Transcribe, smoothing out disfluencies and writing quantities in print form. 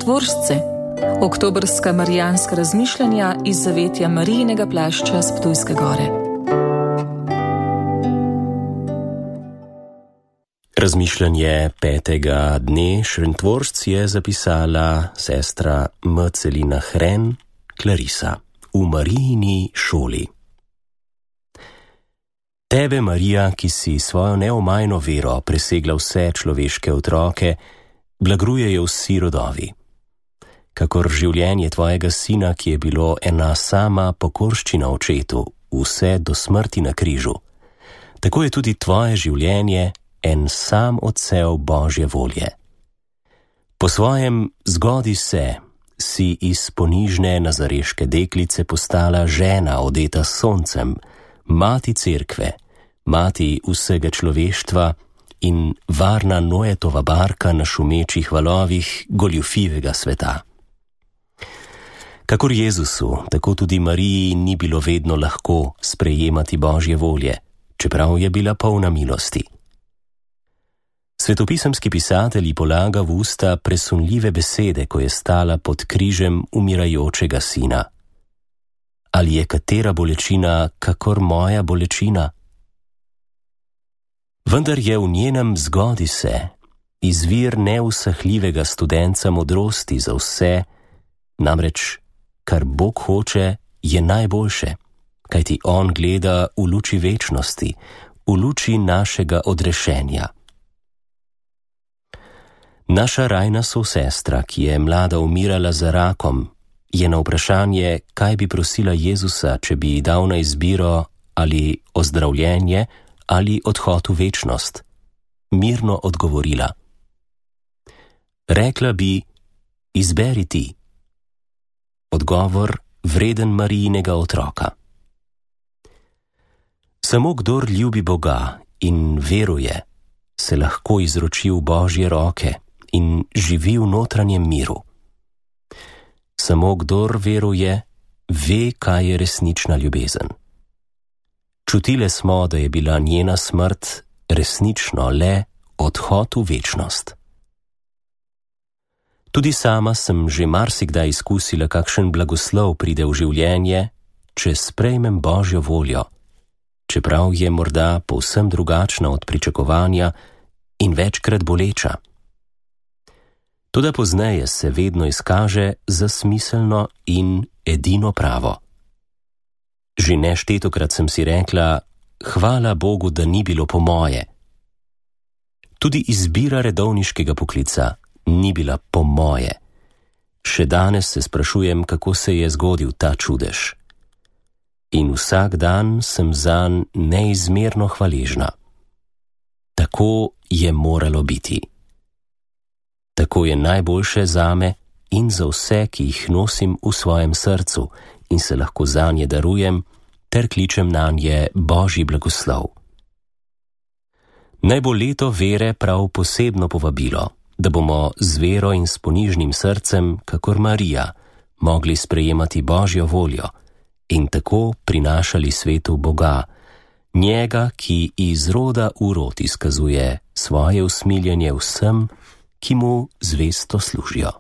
Šentvoržce, oktobrska marijanska razmišljanja iz zavetja Marijinega plašča s Ptujske gore. Razmišljanje 5. dne Šentvoržc je zapisala sestra Mcelina Hren, Klarisa, v Marijini šoli. Tebe, Marija, ki si svojo neomajno vero presegla vse človeške otroke, blagrujejo vsi rodovi. Kakor življenje tvojega sina, ki je bilo ena sama pokorščina očetu, vse do smrti na križu, tako je tudi tvoje življenje en sam odsev Božje volje. Po svojem zgodi se, si iz ponižne nazareške deklice postala žena odeta s soncem, mati cerkve, mati vsega človeštva in varna Noetova barka na šumečih valovih goljufivega sveta. Kakor Jezusu, tako tudi Mariji ni bilo vedno lahko sprejemati Božje volje, čeprav je bila polna milosti. Svetopisemski pisatelj ji polaga v usta presunljive besede, ko je stala pod križem umirajočega sina. Ali je katera bolečina kakor moja bolečina? Vendar je v njenem zgodi se izvir neusahljivega studenca modrosti za vse, namreč kar Bog hoče, je najboljše, kajti On gleda v luči večnosti, v luči našega odrešenja. Naša rajna sosestra, ki je mlada umirala za rakom, je na vprašanje, kaj bi prosila Jezusa, če bi ji dal na izbiro ali ozdravljenje ali odhod v večnost, mirno odgovorila. Rekla bi, izberi ti. Odgovor vreden Marijinega otroka. Samo kdor ljubi Boga in veruje, se lahko izroči v Božje roke in živi v notranjem miru. Samo kdor veruje, ve, kaj je resnična ljubezen. Čutile smo, da je bila njena smrt resnično le odhod v večnost. Tudi sama sem že marsikdaj izkusila, kakšen blagoslov pride v življenje, če sprejmem Božjo voljo, čeprav je morda povsem drugačna od pričakovanja in večkrat boleča. Toda pozneje se vedno izkaže za smiselno in edino pravo. Že neštetokrat sem si rekla, hvala Bogu, da ni bilo po moje. Tudi izbira redovniškega poklica ni bila po moje. Še danes se sprašujem, kako se je zgodil ta čudež. In vsak dan sem zanj neizmerno hvaležna. Tako je moralo biti. Tako je najboljše zame in za vse, ki jih nosim v svojem srcu in se lahko zanje darujem, ter kličem nanje Božji blagoslov. Naj bo leto vere prav posebno povabilo, da bomo z vero in s ponižnim srcem, kakor Marija, mogli sprejemati Božjo voljo in tako prinašali svetu Boga, njega, ki iz roda v rod izkazuje svoje usmiljenje vsem, ki mu zvesto služijo.